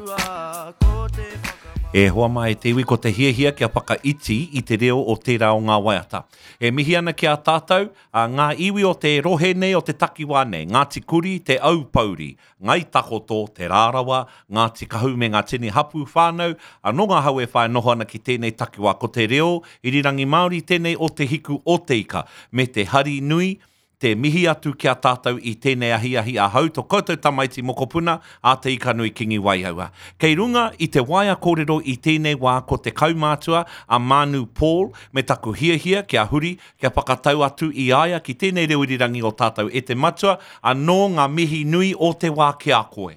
Ko te whakamā. E hoa mā e te iwi, ko te hiahia kia whakaiti i te reo o tērā o ngā waiata. E mihi ana ki a tātou, a ngā iwi o te rohe nei, o te takiwā nei, Ngāti Kuri, Te Aupōuri, Ngāi Takoto, Te Rārawa, Ngāti Kahu me ngā tini hapū whānau, anō ngā hau e whai noho ana ki tēnei takiwā. Ko te reo irirangi Māori tēnei o Te Hiku o Te Ika, me te hari nui, Te mihi atu ki a tātou i tēnei ahiahi ahau to koutou tamaiti mokopuna a Te Ikanui Kingi Waiaua. Kei runga i te waea kōrero i tēnei wā ko te kaumātua a Mānu Paul me taku hiahia kia huri kia whakatau atu i a ia ki tēnei reo irirangi o tātou e te matua anō ngā mihi nui o te wā ki a koe.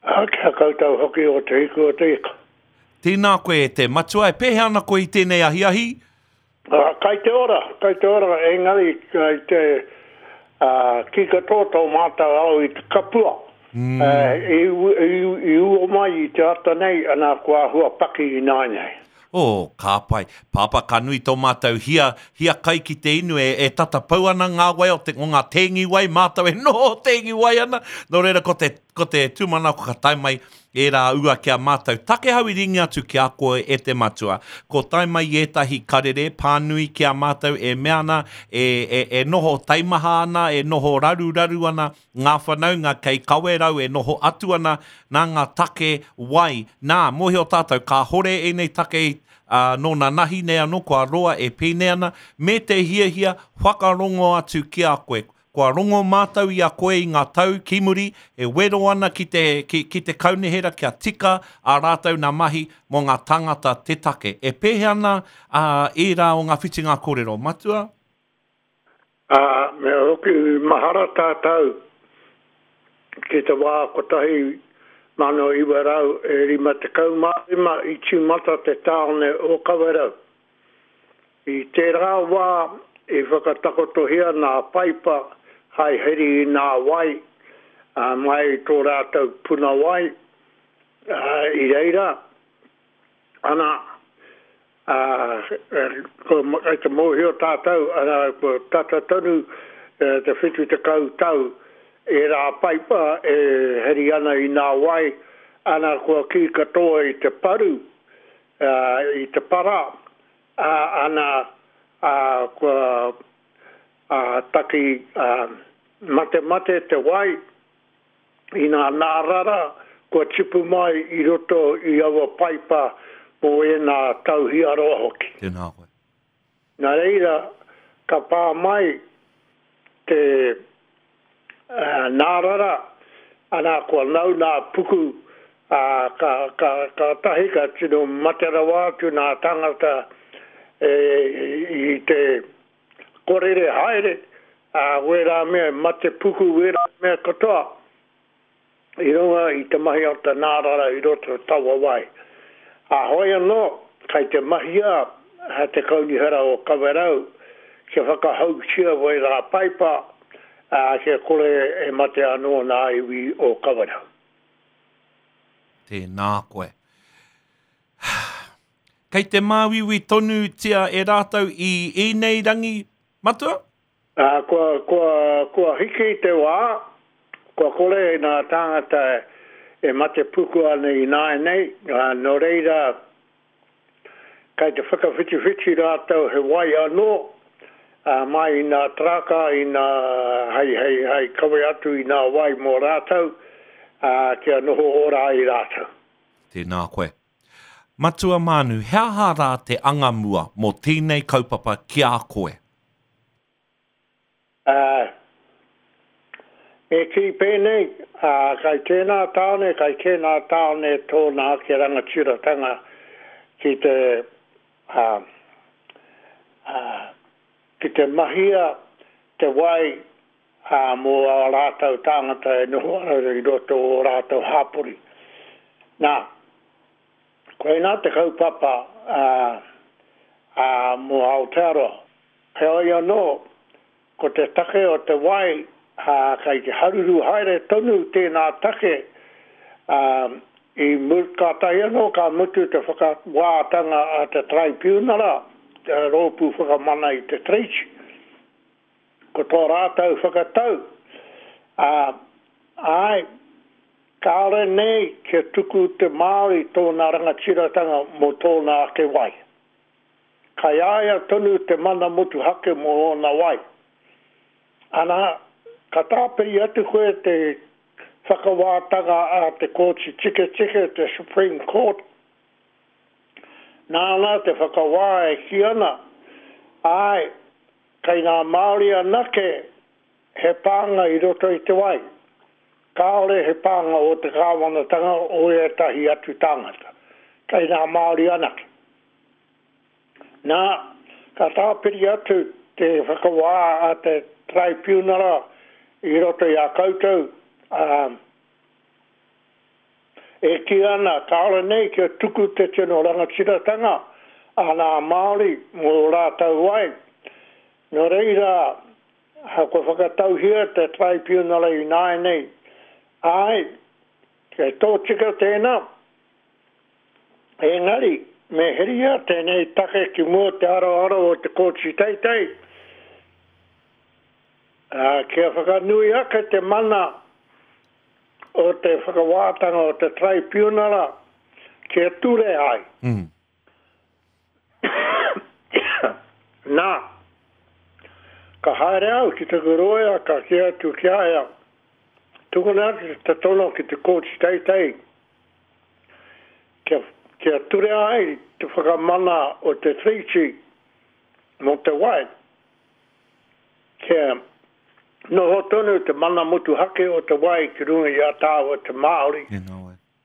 Ā, ki a koutou hoki o Te Hiku o te Ika. Tēnā koe e te matua, e pēhea ana koe i tēnei ahiahi? Ā, kai te ora, kai te ora, engari kai te, ā, kī katoa tō mātou ao i te kapua. Ā, i, i, i ua mai i te ata nei, ana, kua āhua paki ināianei. Oh, ka pai. Pāpā, ka nui tō mātou hia, hia kai ki te inu e, e tata pau ana ngā wai o te, o ngā tēngi wai, mātou e noho tēngi wai ana. Nō reira, ko te, ko te tūmanako ka tae mai ērā ua ki a mātou. Takehau i ringi atu ki a koe e te matua. Ko tae mai ētahi karere pānui ki a mātou e mea ana, e, e, e noho taimaha ana, e noho raruraru ana Ngā whanaunga kei Kawerau e noho atu ana nā ngā take wai. Nā, mōhio tātou, kāhore ēnei take, ā, nō nanahi nei anō kua roa e pēnei ana, me te hiahia whakarongo atu ki a koe. Kua rongo mātou i a koe i ngā tau ki muri e wero ana ki te, ki, ki te kaunihera kia tika ā rātou nā mahi mō ngā tāngata te take. E pēhea ana, ā, ērā o ngā whitinga kōrero, Matua? Ā, me hoki mahara tātou ki te wā 1955 i tīmata te tāone o Kawerau. I tērā wā i whakatakotohia nā paipa hai heri i nā wai mai i tō rātou puna wai, i reira, ana, Ā, kei te mōhio tātou, arā, kua tata tonu te 70 tau ērā paipa e heri ana i nā wai, ana kua kī katoa i te paru, i te para, ā, ana, ā, kua, ā, taki, ā, matemate te wai, i ngā nārara kua tipu mai i roto i aua paipa mō ēnā tau hiaroa hoki. Tēnā koe. Nā reira, ka pā mai te nārara, ana kua nau nā puku, ā, ka, ka, kātahi ka tino mate rawa atu nā tāngata e, i te Korere haere, ā, wērā mea e mate puku wērā mea katoa i runga i te mahi o te nārara i roto o taua wai. Ā, hoi anō, kai te mahia te Kaunihera o Kawerau kia whakahoutia wērā paipa, ā, kia kore e mate anō nā iwi o Kawerau. Tēnā koe. Kei te māuiui tonutia e rātou i ēnei rangi, Matua? Ā, kua, kua, kua hiki te wā, kua kore ngā tāngata e mate puku ana ināianei, ā, nō reira, kei te whakawhitiwhiti rātou he wai anō, ā, mai i ngā taraka, i ngā, hei, hei, hei kawe atu i ngā wai mō rātou, ā, kia noho ora ai rātou. Tēnā koe. Matua Mānu, he aha rā te anga mua mō tēnei kaupapa ki a koe? Ā, me kī pēnei, ā, kai tēnā tāone, kai tēnā tāone tōna ake rangatiratanga ki te, ā, ā, ki te mahia te wai, ā, mō ā rātou tāngata e noho ana i roto o ō rātou hapori. Nā, koinā te kaupapa, ā, ā, mō Aotearoa. Heoi anō, ko te take o te wai, ā, kei te haruru haere tonu tēnā take, ā, i mu, kātahi anō ka mutu te whakawātanga a te Taraipiunara, te Rōpū Whakamana i te Tiriti. Ko tō rātou whakatau, ā, āe, Kāore nei kia tuku te Māori tōna rangatiratanga mō tōna ake wai. Kai a ia tonu te mana motuhake mō ōna wai. Ana, ka tāpiri atu koe te whakawātanga a te Kōti Tiketike, te Supreme Court, nāna te whakawā e kī ana, āe, kei ngā Māori anake he pānga i roto i te wai, kāore he pānga o te kāwanatanga o ētahi atu tāngata, kei ngā Māori anake. Nā, ka tāpiri atu te whakawā a te Taraipiunara i roto i a koutou, ā, e kī ana kāore nei kia tuku te tino rangatiratanga a ngā Māori mō ō rātou wai. Nō reira, kua whakatauhia te Taraipiunara ināianei, āe, kei tōtika tēnā, Engari, me heria tēnei take ki mua te aroaro o te Kōti Teitei, ā, kia whakanui ake te mana o te whakawātanga o te Taraipiunara kia ture ai. Nā, ka haere au ki taku rōia ka kī atu ki a ia, tukuna atu te tono ki te Kōti Teitei kia, kia ture ai te whakamana o te Treaty mō te wai, kia noho tonu te mana motuhake o te wai ki runga i a tāua te Māori.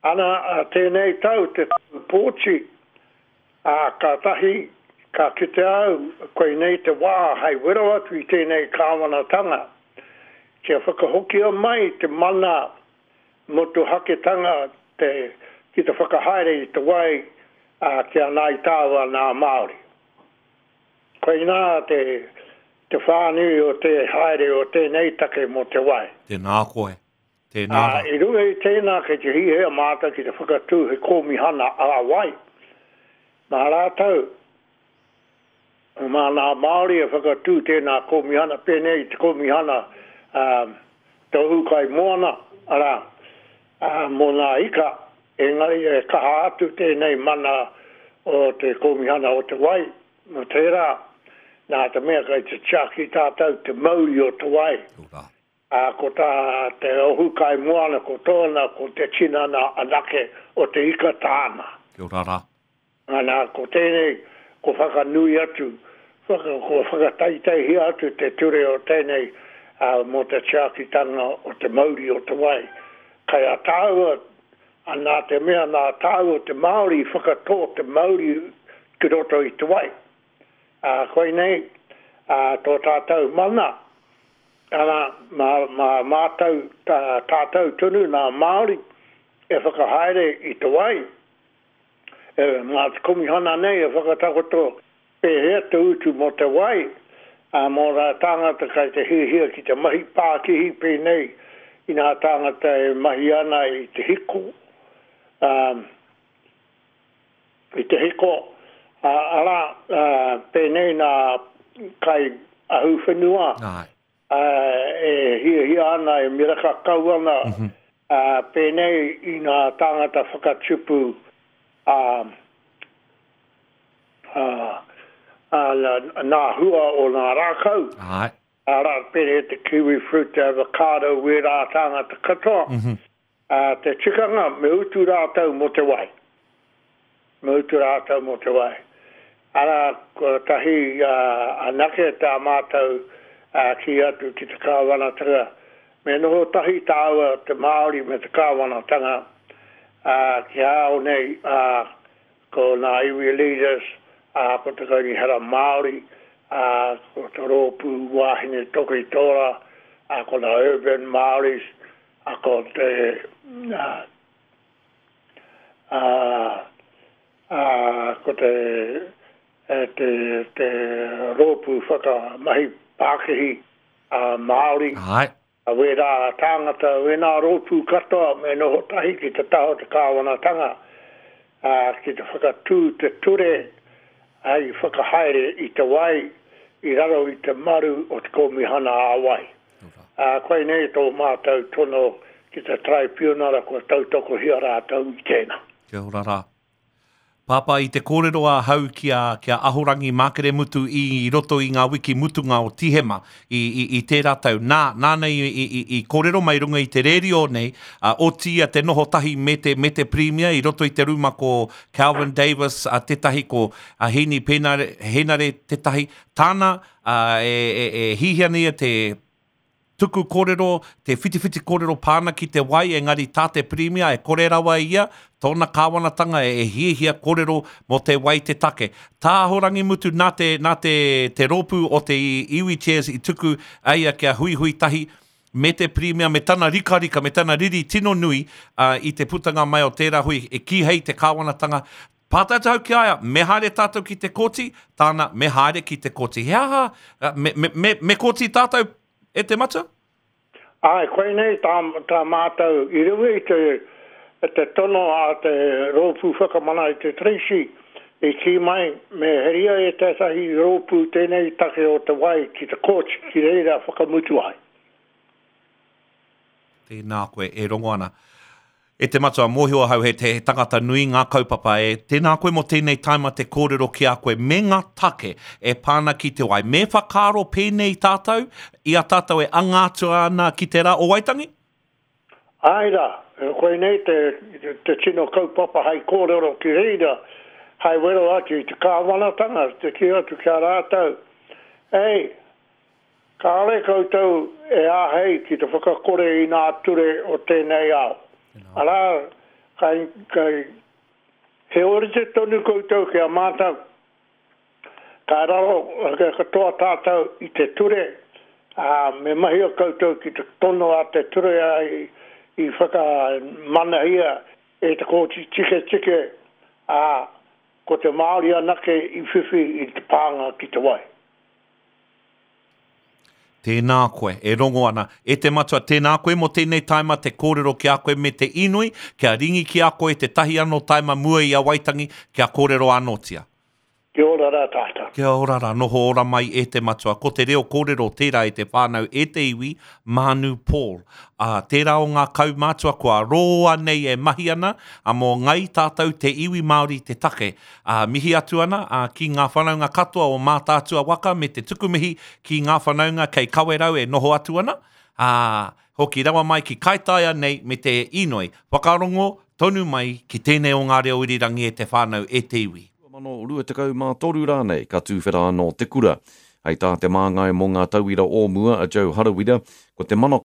Ana, ā tēnei tau te tau pōti, ā, kātahi ka kite au koinei te wā hei wero atu i tēnei kāwanatanga kia whakahokia mai te mana motuhaketanga te ki te whakahaere i te wai, ā, ki a Ngāi Tāua nā Māori. Koinā te te whānui o te haere o tēnei take mō te wai. Tēnā koe. Tēnā rā. I runga i tēnā kei te hihia mātou ki te whakatū he kōmihana ā-wai. Mā rātou, mā ngā Māori e whakatū tēnā kōmihana pēnei i te kōmihana tohu kai moana, arā, mō ngā ika, engari e kaha atu tēnei mana o te kōmihana o te wai, mō tērā, nā te mea kei te tiaki tātou te mauri o te wai. Ā, ko tā te ohu kai moana ko tōna, ko te tinana anake o te ika tāna. Kia ora rā. Ana, ko tēnei, ko whakanui atu, whaka, ko whakataitaihia atu te ture o tēnei, ā, mō te tiakitanga o te mauri o te wai. Kai a tāua, ā, nā te mea nā tāua te Māori i whakatō te mauri ki roto i te wai. Ā, koinei, ā, tō tātou mana, Arā, mā, mā mātou, tā, tātou tonu, nā Māori, e whakahaere i te wai, e, mā te Komihana nei e whakatakoto pēhea te utu mō te wai, ā, mō ngā tāngata kai te hiahia ki te mahi pākihi pēnei i ngā tāngata e mahi ana i te hiko, ā, i te hiko, ā, arā, ā, pēnei nā kai ahuwhenua, ā, e hiahia ana, e miraka kau ana, ā, pēnei i ngā tāngata whakatupu, ā, ā, ā, nā hua o ngā rākau, arā, pēnei te kiwi fruit, te avocado, wērā tāngata katoa, Ā, te tikanga me utu rātou mō te wai. Me utu rātou mō te wai. Arā, kotahi anake tā mātou kī atu ki te kāwanatanga, me noho tahi tāua te Māori me te kāwanatanga, ā, ki a au nei, ā, ko ngā iwi leaders, ā, ko te Kaunihera Māori, ā, ko te Rōpū Wāhine Toki Tōra, ā, ko ngā Urban Māoris, A ko te, a, a, a, ko te, e, te, te rōpū whakamahi pākihi a Māori, Āe. a wērā tāngata, wēnā rōpū katoa me noho tahi ki te taha o te kāwanatanga, ā, ki te whakatū te ture hei whakahaere i te wai i raro i te maru o te Kōmihana ā-Wai. Ā, koinei tō mātou tono ki te Taraipiunara kua tautokohia rātou i tēnā. Kia ora rā. Pāpā, i te kōrero ahau ki a, ki a Ahorangi Mākeremutu i roto i ngā wiki mutunga o Tīhema i, i, i tērā tau. Nā, nāna i, i, i, i kōrero mai runga i te rērio nei, ā, otiia te noho tahi me te, me te Pirimia i roto i te rūma ko Kelvin Davis, ā, tētahi ko, ā, Hēni Pēnare, Hēnare tētahi. Tāna, ā, e, e, e hihia nei ia te, tuku kōrero, te whitiwhiti kōrero pā ana ki te wai, engari tā te Pirimia e kore rawa ia, tōna kāwanatanga e hiahia kōrero mō te wai te take. Tā Ahorangimutu nā te, nā te, te rōpū o te Iwi Chairs i tuku a ia kia huihui tahi me te Pirimia, me tana rikarika, me tana riri tino nui i te putanga mai o tērā hui, e kīhei te kāwanatanga Pātai atu ahau ki a ia, me haere tātou ki te kōti? Tāna, me haere ki te kōti. He aha, me, me, me, me kōti tātou e te matua? Āe, koinei tā, tā mātou i runga i te, te tono a te Rōpū Whakamana i te Treaty, i kī mai me heria e tētahi rōpū tēnei take o te wai ki te kōti, ki reira whakamutu ai. Tēnā koe e rongo ana. E te matua, mōhio ahau he, he tangata nui ngā kaupapa e. Tēnā koe mō tēnei taima te kōrero ki a koe me ngā take e pā ana ki te wai. Me whakaaro pēnei tātou i a tātou e anga atu ana ki te rā o Waitangi? Āe rā, koinei te, te tino kaupapa hai kōrero ki reira, hai wero atu i te kāwanatanga, te kī atu ki a rātou, Ei, Kāore koutou e āhei ki te whakakore i ngā ture o tēnei ao. Arā, kai, kai, he ōrite tonu koutou ki a mātou, ka raro katoa tātou i te ture, ā, me mahia koutou ki te tono a te ture i, i whakamanahia e te Kōti Tiketike, ā, ko te Māori anake i whiwhi i te pānga ki te wai. Tēnā koe, e rongo ana. E te matua, tēnā koe mō tēnei taima te kōrero ki a koe me te inoi kia ringi ki a koe tētahi anō taima mua i a Waitangi kia kōrero anōtia. Kia ora rā tātou. Kia ora rā, noho ora mai e te matua. Ko te reo kōrero tērā e te whānau, e te iwi, Mānu Paul. Ā, tērā o ngā kaumātua kua roa nei e mahi ana, ā, mō ngai tātou te iwi Māori te take. Ā, mihi atu ana, ā, ki ngā whanaunga katoa o Mātaatua waka me te tuku mihi ki ngā whanaunga kei Kawerau e noho atu ana, ā, hoki rawa mai ki Kaitaia nei me te inoi, whakarongo tonu mai ki tēnei o ngā reo irirangi e te whānau, e te iwi. 2023 rānei ka tūwhera anō te kura. Hei tā te māngai mō ngā tauira o mua a Joe Harawira, ko te manako.